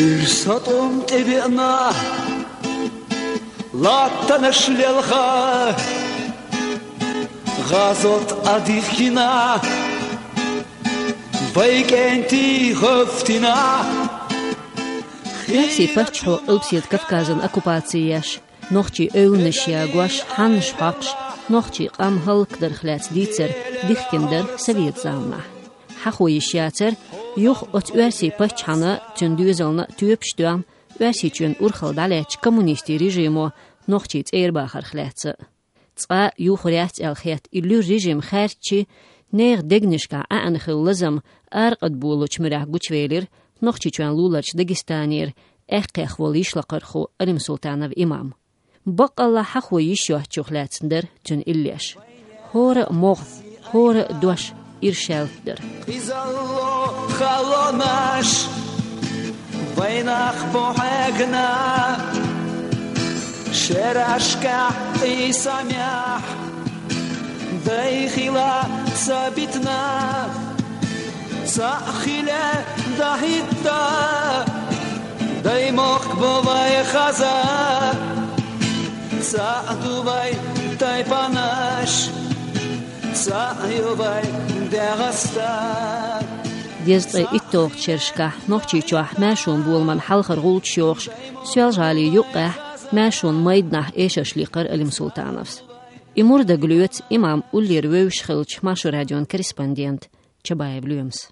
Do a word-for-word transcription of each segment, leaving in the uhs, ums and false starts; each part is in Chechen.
Уьш сатум тӀевеана, латтанаш лелха, гӀазот а дихкина, вай кӀентий гӀоьфтина. Оьрсийн паччахьо Къилбаседа Кавказан оккупаци еш, нохчийн эвланаш ягош, хьаннаш хьокхаш, нохчийн къам хӀаллакдарах лаьцна дийцар дихкина дара совет заманахь. Хьахо йиш яцара, юха оцу оьрсийн паччахьана, цуьнан доьзална тоьпаш тоьхна, Оьрсийчоьнан урхалла дӀалаьцначу коммунистийн режимо нохчий цӀера бахарх лаьцна а. Цкъа а юхур яц аьлла хетта, и луьра режим хаьрччи, нехан дегнашкахь Ӏаьнна хилла лазам аракъадболалучу муьрехь гучувелира Нохчийчоьнан луларчу Дагестанера аьккхех волу йишлакхархо Алимсултанов Имам. Баккъаллахь, хьахо йиш йоцучух лаьцна дара цуьнан иллеш. ХӀора а могӀа, хӀора а дош иршалла дара. Къизалло халонаш вайнах бохьегна, шерашкахь къийсамехь дайхила ца битна. Цхьаъ хиле дахӀитта, даймохк бу вай хаза, цхьаъ ду вай тайпанаш, цхьаъ ю вай ДегӀаста. Дезткъе итталгӀачу шерашкахь Нохчийчохь маьршонан боламан хьалхара гӀулчаш йохуш, Соьлжа-ГӀалин юккъехь маьршонан майданахь эшарш лийкхира Алимсултановс. И мур дагалоьцу Имам уллера вевзаш хиллачу Маршо радион корреспондента Чабаев Лоьмас.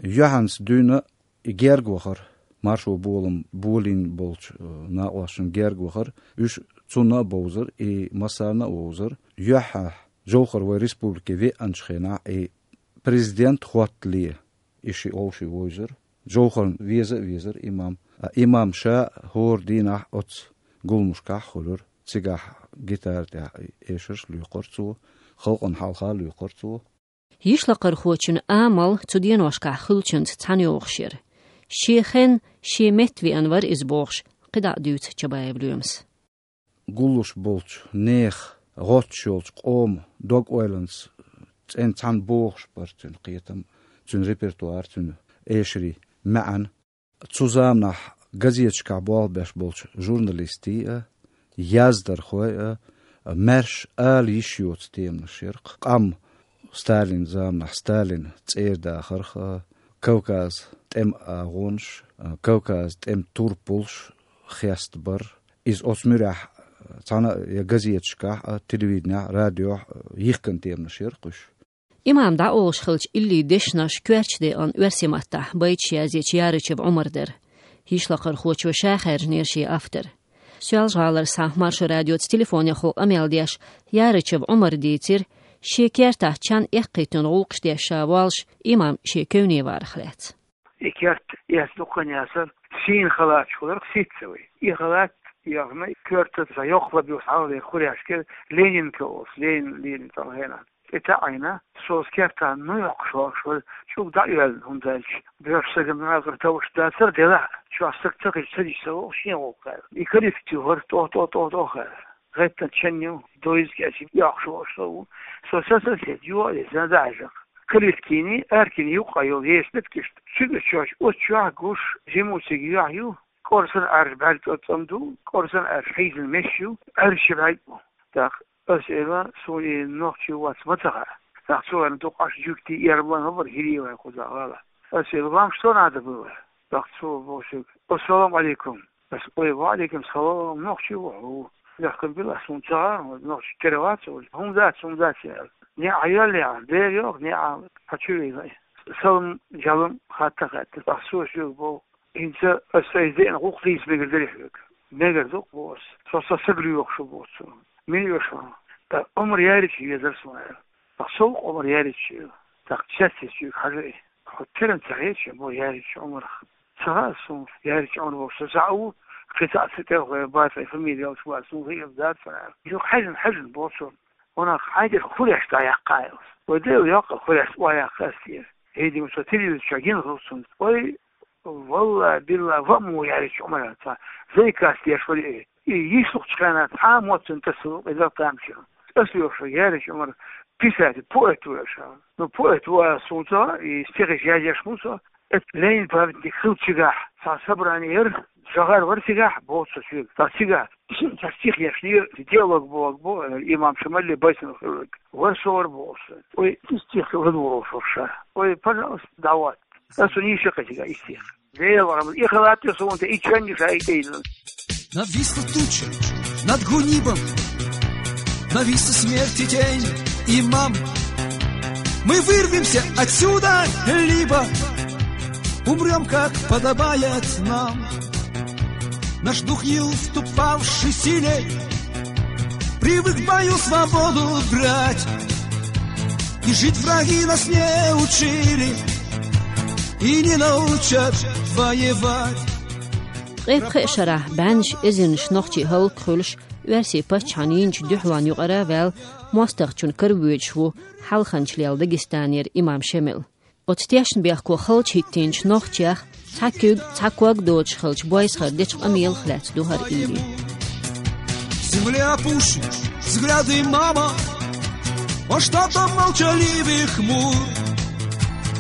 Юьхьанца дуьйна и герга вахара, маршонан болам болийна болчу, э, накъосташна герга вахара, уьш цунна а бовзара, и массарна а вовзара. Юьххьехь Жовхар вай республике веанчу хенахь, и президент хӀоттале, и ши олуш вовзара. Жовхарна веза а везара Имам. А Имам ша хӀора дийнахь оцу гуламашкахь а хуьлура. Цигахь гитара тӀехь эшарш а лоькхура цо, халкъана хьалха а лоькхура цо. Йишлакхархочун амал цу деношкахь хуьлучуьнца цхьаьна йогӀуш яра. Шен хенна, шен метта веана вара иза бохуш, кхидӀа а дуьйцу Чабаев Лоьмас. Гуллуш болчу нехан, гӀоттуш йолчу къоман дог-ойланца цӀена цхьаьна богӀуш бара цуьнан кхетам, цуьнан репертуар, цуьнан эшарийн маьӀна. Цу заманахь газеташкахь болх беш болчу журналистийн а, яздархойн а, маьрша ала йиш йоцу теманаш яра-кх. Къам Сталинан заманахь Сталина цӀера дахарх а, Кавказан тӀеман агӀонаш а, Кавказан тӀеман турпалш а хестабар. Иза оцу муьрехь цхьана а я газеташкахь а, телевиденехь а, радиохь а йихкина теманаш яра-кх уьш. Имам дӀаолуш хиллачу иллин дешнаш коьртачу декъана оьрсийн маттахь байташ язъечу Ярычев Ӏумар дара. Йишлакхархочо ша хаьржинера шен автор. Соьлжа-ГӀалара схьа Маршо радиоца телефонехула къамел деш, Ярычев Ӏумара дийцира, шен кертахь чан эккхийтина гӀуллакхаш деш ша воллуш, Имам шен кевне варах лаьцна. И керт эс дуккха а яцара, сийна халаташ хуьлура-кх сицца вай. И халат яхна, коьртаца йоккха лаба йолуш хьалхалера хуряшкара Ленинка олуш, Ленин, Ленин цӀа хенахь. ТӀе таӀийна, со оцу кертахь ну йоккхуш вахаш вара, чӀуг дӀа а йоьллина, хӀунда аьлча боьрша сагана накъара товш дацара, делахь а, чохь саг ца хилча, ца дича ца вогӀу шен гӀуллакх аьлла. И коллектив вара, тӀо, тӀо, тӀо, тӀо хаьара. ГӀеттина чен ю, дойза кечи йоккхуш вахаш со ву. Со сан сосед, юха а деза, дӀа а хьаьжна. Калиткини, Аркини юккъе йолу еша дитка иштта. Цуьнан чохь, оцу чохь гуш, жимма цига юьхь ю, кӀорсана Ӏаьржа бӀаьрг цӀа-цӀам ду, кӀорсана Ӏаьржа хьийзина меш ю, Ӏаьржа ши бӀаьрг бу. ТӀаккха ас элира, суна и нохчи вац ма ца хаьа. ТӀаккха цо аьлла, дукха Ӏаш жуьгтий, эрмалан хӀун бара, хӀирий вай кхузахь гӀала. Ас элира, вам что надо было? ТӀаккха цо боху соьга: «Ассаламу Ӏалайкум». Ас: «Ой, ва Ӏалайкум салам, нохчи ву хьо». Лехкам била, ас хӀунда ца хаьа, нохчи кера вац, хӀунда дац, хӀунда дац аьлла. НеӀ хьан йоьллехь, дера йоху, неӀ хьан чу вийна. Салам-жалам хатта хаьттира. ТӀаккха цо соьга боху: «ХӀинца ас сайца деана гӀуллакх хийца мегар дарий хьоьга?» «Мегар ду-кх», – боху ас. «Со сан саг лоьхуш ву», – боху цо. «Мила оьшу хьуна?» «ТӀаккха Ӏумар Ярича везара суна», – аьлла. ТӀаккха со ву-кх Ӏумар Ярича, аьлла. ТӀаккха цецвичуьйга хьажа и. «Хьо теран ца хеташ бу Ярич Ӏумарах?» «Ца хаьа суна Ярич Ӏумар волуш, со цхьаъ ву, кхин цхьаъ сан тӀе вахана бац, ай фамилия йолуш вац, суна хиъна дац», – аьлла. «Юха хьаьжна, хьаьжна», – боху цо. «Ванах, хьайн тӀера хуреш дӀаяккха», – аьлла. «Вай Дела йоккха хуреш тӀе яккха ас тӀера. ХӀей, дийна, со телевизор чохь гина хилла цунна. Вай, валлахӀи, биллахӀи, ва мо Ярич Ӏумар цхьа зайкас деш вара и. И йиш лухучу хенахь цхьа а мотт цуьнан тасалуш иза тамашийна. Ас лоьхуш вара Ярич Ӏумар писатель, поэт ву аша. Ну, поэт ву аса суна ца хаьа, и стихаш язъеш ву со. Эт Ленин памятник хилчигахь, цхьа собрани яр, жагӀар вар цигахь, боцу соьга. Цхьа цигахь, цхьа стих ешнера, диалог бог бо, имам Шамалли байсан хилг. Вар со вар бо со. Ой, и стих ладугӀу со ша. Ой, пожалуйста, давай. Ас у ничего катига и стих. Лева, и халат я сонта, и чанни ша, и тейна. Нависла туча над Гунибом, нависла смерти тень, имам. Мы вырвемся отсюда, либо умрём, как подобает нам. Наш дух не уступавший силе, привык в бою свободу брать. И жить враги нас не учили, и не научат воевать. Ткъе пхеа шарахь бӀеннаш эзарнаш нохчий хӀаллакьхуьлуш, оьрсийн паччахьан йинчу дуьхьалонна юкъара а ваьлла, мостагӀчун каравоьдуш ву хьалханчалел Дагестанера имам Шемал. Оцу тешнабехко халча хӀиттийначу нохчех цхьа куьг, цхьа ког доцуш хилча, бойсахара дечу къамелах лаьцна ду хӀара ийла. Земля опущена, взгляды мама, он что-то молчаливый хмур.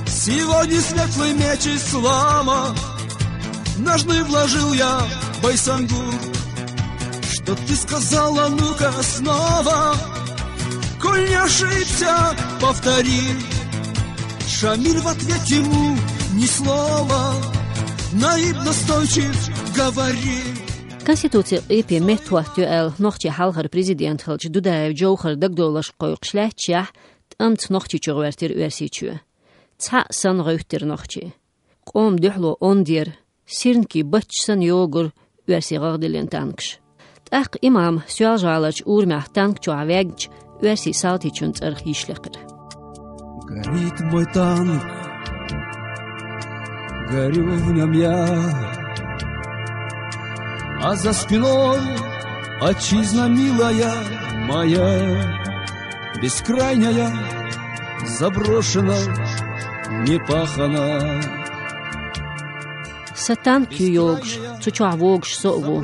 Сегодня светлый меч ислама ножны вложил я, Байсангур. Что ты сказала, ну-ка снова? Коль не ошибся, повтори. Шамиль в ответ ему ни слова. Наиб настойчив говори. Конституцин къепе меттахӀоттайо аьлла, нохчийн хьалхара президент хилча Дудаев Джовхар дагадовларш кхойкхуш лаьтташехь, тӀамца Нохчийчу гӀоьртира Оьрсийчоь. Цхьаъ санна гӀевттира нохчий. Къоман дуьхьало онда яра, сирникийн батташ санна йогура оьрсийн гӀагӀдиллина танкаш. ТӀаккха имам Соьлжа-ГӀаларчу урамехь танк чохь ваьгначу оьрсийн салтичун цӀарах йиш лекхира. Горит мой танк, горю в нём я, а за спиной отчизна милая моя, бескрайняя, заброшена, непахана. Сан танк ю йогуш, цу чохь вогуш со а ву.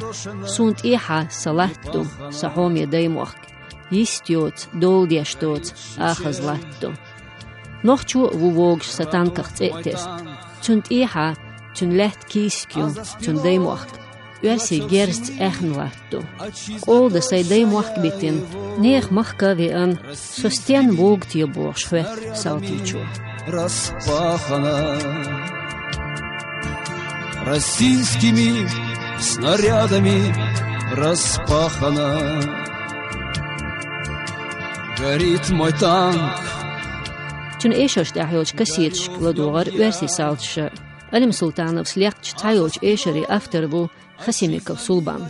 Суна тӀехьа сан латта ду, сан хьоме даймохк. Йист йоцу, дола деш доцу, ахаза латта ду. Нохчо а ву вогуш сан танках цӀе а тесна. Цунна тӀехьа, цуьнан лаьтта кийсак ю, цуьнан даймохк. Оьрсийн герзаца аьхна латта ду. Къола дан сайн даймохк битина, нехан махка а веана, со стенна вогу те бохуш хоьтту салтичо. Распахана российскими снарядами, распахана. Горит мой танк. Цуьнан эшарш тӀехь йолчу кассеташка ладогӀара оьрсийн салташа. Алим Султановс лекхачу цхьайолчу эшарийн автор ву Хасимиков Сулбан.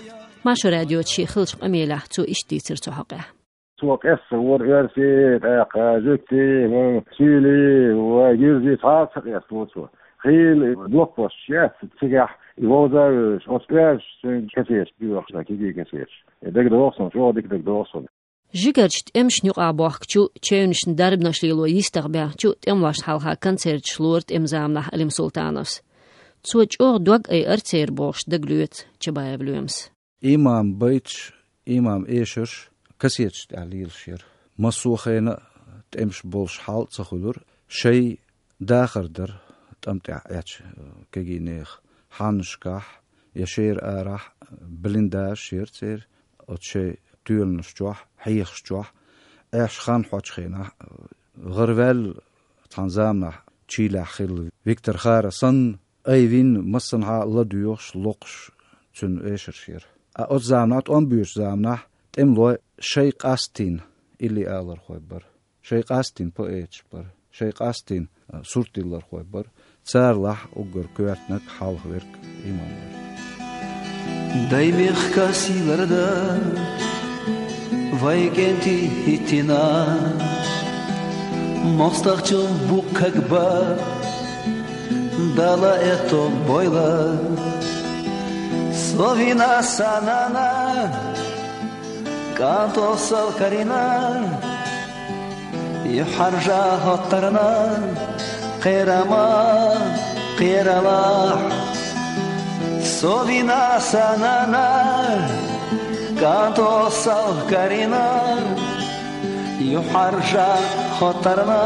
Маршо радиоца шен хиллачу къамелехь цо иштта дийцира цу хьокъехь. Цо къестар вара оьрси, тӀаккха жуьгти, суьйли, ва гирзи цхьа а ца къеста ву цо. Хийла блокпосташ яц цигахь, и вовза а вевзаш, оцу оьрсашца цуьнга кассеташ доьхуш, кегий кассеташ. И дагадогӀу суна, чӀогӀа дика дагадогӀу суна. Жигарчу тӀемашна юкъахь бохкучу, чевнашна дарбанаш лело йистах баьхначу тӀемалошна хьалха концерташ лора тӀеман заманахь Алим Султановс. Цо чӀогӀа дог айара церан бохуш дагалоьцу Чабаев Лоьмас. Имам байташ, имам эшарш кассеташ тӀехь лелаш яра. Массо а хенахь тӀемаш болуш хьал а ца хуьлура, шайн дахар дара тӀам тӀехь Ӏечу кегийнехан хьаннашкахь, я шера арахь блиндажаш яра церан, оцу шайн тоьланаш чохь, хьехаш чохь, Ӏеш хан хьочу хенахь, гӀараваьлла цхьана заманахь чийлахь хилла Виктор Хара санна, айвина массанхьа а ладоьгӀуш, локхуш цуьнан эшарш яра. Ткъа оцу заманахь, тӀом боьдучу заманахь, тӀемалой шайн къастийна илли алархой бара. Шайн къастийна поэташ бара, шайн къастийна, а, суртдиллархой бара. Царалахь уггар коьртаниг, хьалха верг имам вара. Дай мехкан сийлара да, вай кӀентий хӀиттина, мостагӀчун буккхаг ба, Дала этто бойла. Со вина сан нана, кӀанто сал карийна, юьхьӀаьржа хӀоттарна, кхерама кхералахь. Со вина сан нана, кӀанто сал карийна, юьхьӀаьржа хӀоттарна,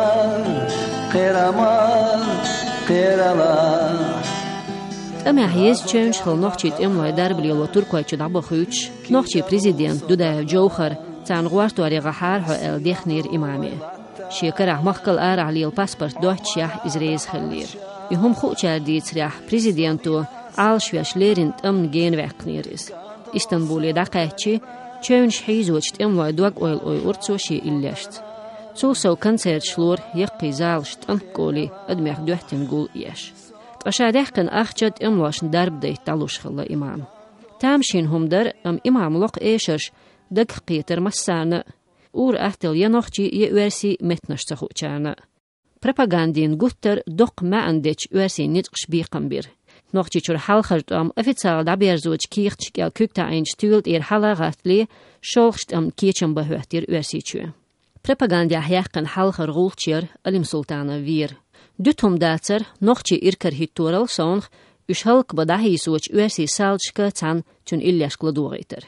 кхерама кхералахь. ТӀамехь еза чевнаш хилла нохчий тӀемалой дарба лело Туркойчу дӀабахуьйтуш, нохчий президент Дудаев Джовхар царна гӀортор яхьара хьо аьлла дехнера имаме. Шен карахь махкал арахь лела паспорт доццушехь иза реза хиллера. И хӀума хуучара дийцарехь, президенто Ӏалашвеш леррина тӀамна гена ваьккхинера иза. Истанбуле дӀакхаьчча, чевнаш хьийзочу тӀемалой дог-ойла ойура цо шен иллешца. Цул сов концерташ лора яккхий залаш тӀанкколий адамех доьттина гул а еш. Ткъа ша даьккхина ахча тӀемалошна дарба дайта дӀалуш хилла имам. Тамашийна хӀума дара, амма имам локху эшарш дагах кхетара массарна а, ур-атталла я нохчий, я оьрсий меттанаш ца хуучарна а. Пропагандин гуттар а доккха маьӀна дечу оьрсийн ницкъаша бекхам бира. Нохчийчуьра хьалхара тӀом официалан дӀаберзочу кехаташ кӀел куьг таӀийначу туьйла тӀера хьала а гӀаттале, шолгӀачу тӀамна кечам бан хӀоьттира Оьрсийчоь. Пропагандехь яьккхина хьалхара гӀулч яра Алим Султанов вер. Дуьту хӀума дацара, нохчий иракарахӀитторал совнах, уьш хӀаллакбан дӀахьийсочу оьрсийн салдашка цхьаьна цуьнан иллешка ладогӀийтар.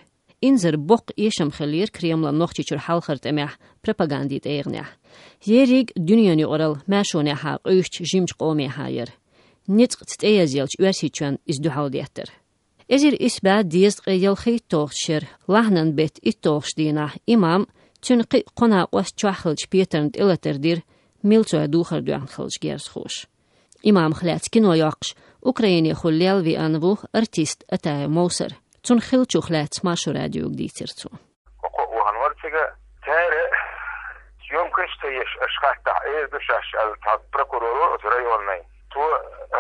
Инзара боккха эшам хиллера Кремлан Нохчийчуьра хьалхара тӀамехь, пропагандин тӀегӀанехь. Ерриг дуьненан юкъаралла маьршонехьа къуьйсучу жимачу къомехьа яра. Ницкъаца тӀеязъеллачу Оьрсийчоьнна иза дуьхьал деттара. Эзар исс бӀе дезткъе ялхитталгӀачу шеран лахьанан беттан итталгӀачу дийнахь имам, цуьнан кхин а кхо накъост чохь хиллачу петарна тӀелатар дира милцой духар доьхна хиллачу герзахоша. Имамах лаьцна кино йоккхуш, Украинехула лелла веана ву артист Атаев Мовсар. Цунна хиллачух лаьцна Маршо радиога дийцира цо. Кхо вахана вара цига. Цара съёмкаш ца еш, аша хаттахь, эр ду шаьш аьлла, цхьа прокуроро оцу районный. Цо,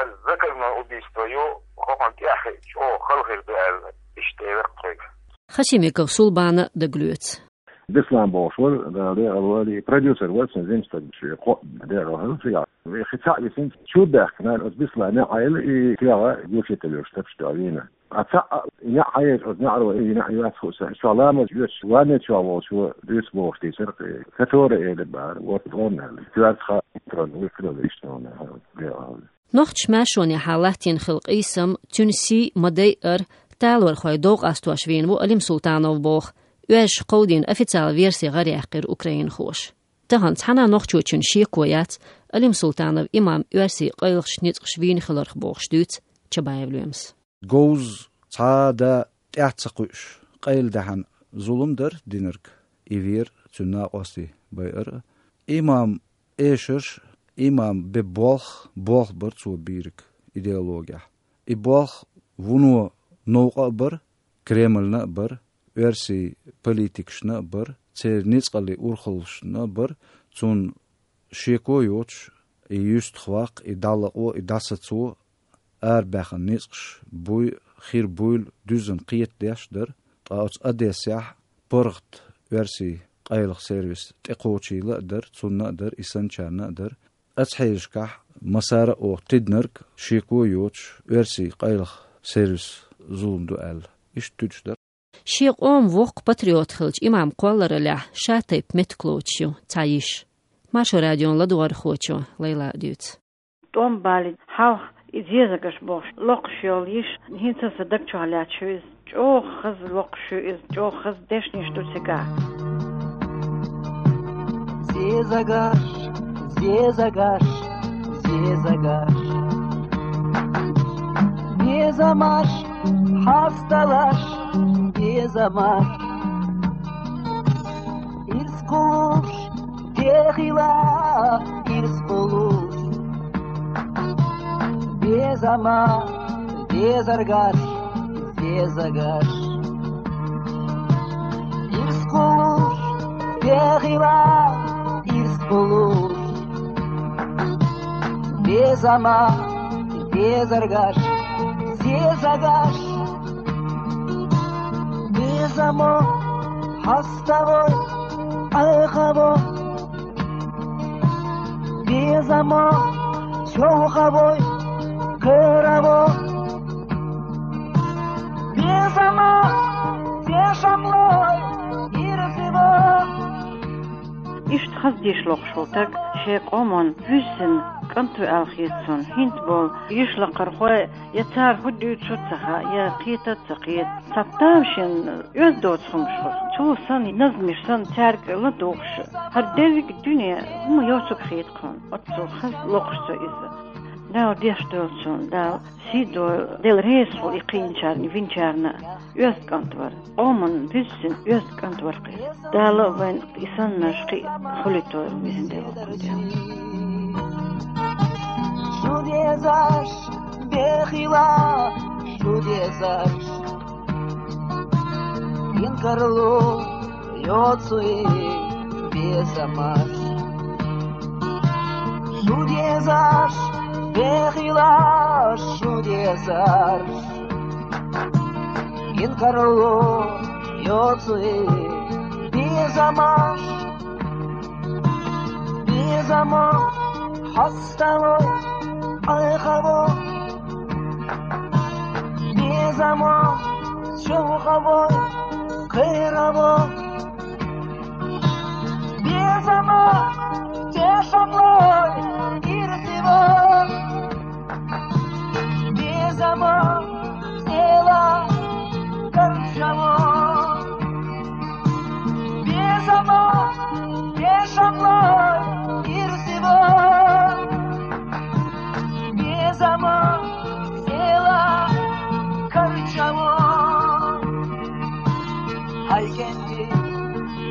ас заказное убийство ю, хӀокхунна тӀехь чӀогӀа хала хир ду аьлла, иштта элира тхоьга. Хасимиков Сулбана дагалоьцу. Беслан бохуш вара, Дала декъал валий, продюсер вара цуьнан, жима стаг, шен кхоъ декъал хилла цигахь. Вай хи цхьаъ висина, чу баьхкина, аса Беслан неӀ Ӏайла и кегӀа гучиталуш тапаш дуьхьа вийна. А цхьаъ неӀ Ӏайла, аса неӀаро и неӀ йоьцу хӀуса, чохь ламаз йоьцуш, ванне чохь волчо дуьйцу бохуш дийцира, который элира бара, вот он аьлла. Коьртах а трон вуй хилла иштта ван аьлла, декъал. Нохчаша маьршонехьа латтийна хилла къийсам, цуьнан сий ма-дайъара, талорхой дов къастош вийна ву Алим Султанов боху, оьрсаша кховдийна официалан верси гӀараяьккхира украинхоша. Тахана цхьана а нохчочун шеко яц, Алим Султанов имам оьрсийн къайлахчу ницкъаша вийна хиларх бохуш дуьйцу Чабаев Лоьмас. Говза цхьа а да тӀаьхьа ца кхуьуш, къайладаьхьна зулам дара динарг, и вера цуьнан накъостий байар а. Имам эшарш, имам бен болх, болх бара цо бийриг идеологехь. И болх вуно новкъа а бара, Кремльна а бара, оьрсийн политикашна а бара, церан ницкъаллин урхаллашна а бара, цунна шеко йоцуш, и юьстах ваккха, и дӀалакъо, и дӀасацо, арабаьхна ницкъаш буй, хир буйла дуьззина кхетадеш дара, ткъа оцу Одессехь паргӀат оьрсийн къайлаха сервис тӀекхочийла а дара, цунна а дара, и санначарна а дара. Оцу хьелашкахь массара а оха тидинарг шеко йоцуш, оьрсийн къайлаха сервис зулам ду аьлла, иштта туьдуш дара. Шен къоман воккха патриот хилча, имам кхоллараллехь ша тайпа меттиг лоцуш ю цхьа йиша. Маршо радион ладогӀархочо Лайлас дуьйцу. ТӀом балийна хьалха и зезагаш бохуш локхуш йолу йиша, хӀинца а сан даг чохь лаьтташ ю иза. ЧӀогӀа хаза локхуш ю иза, чӀогӀа хаза дешнаш ду цигахь. Зезагаш, зезагаш, зезагаш. Безамаш, хьасталаш, безамаш. Ирс кхуллуш, дехила ирс кхуллуш. Безама, дезаргаш, дезагаш. Ирс кхуллуш, дехила ирс кхуллуш. Безама, дезаргаш, дезагаш. Безамо, хьаставой, Ӏехаво. Безамо, сёлхавой, кхераво. Безамо, тешамлой, ирзиво. Иштта хаза деш лохуш волу стаг шен къоман вуьззина кӀант ву аьлла хета суна. ХӀинца болу йиша лакхархой, я цара хӀун дуьйцу ца хаьа, я кхета ца кхета. Цхьа тамашийна оьзда доцу хӀумаш хуьлу. Цо санна, назмаш санна, цаьрга ладугӀуш, хӀара дерриг а дуьне хӀума йоцург хета тхуна. Оццул хаза лохуш цо иза. Дала деш долчун, Дала сий дойла, Дала реза хуьлда и кхийначарна, винчарна оьзда кӀант вар. Къоман буьззина оьзда кӀант вар кхы. Дала вайн и саннарш кхин а хуьлуьйтойла везан Дела, воккха Дела. Шу дезаш, бехила, шу дезаш. Инкарло йоций безамаш. Шу дезаш, бехила, шу дезаш. Инкарло йоций безамаш. Безамаш хаставо, айхаво. Безамаш шовхаво, кхераво. Безамаш тешамлой ирсиво. Безамаш села карчаво. Безамаш тешамлой ирсиво. Безамаш села карчаво. Хьайкенти,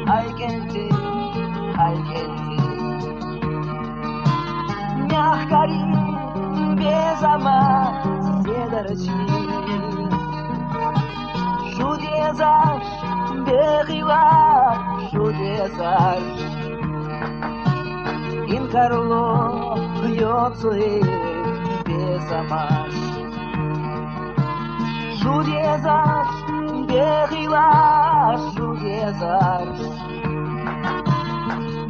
хьайкенти, хьайкенти. Мягкари безамаш седарчи. Шу дезаш, бехила, шу дезаш. Инкарло йоций безамаш. Шу дезаш, бехила, шу дезаш.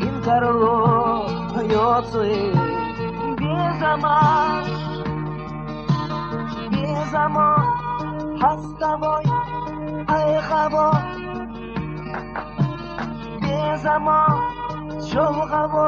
Инкарло йоций безамаш. Безамаш хаставо, айхаво. Безамаш шовхаво,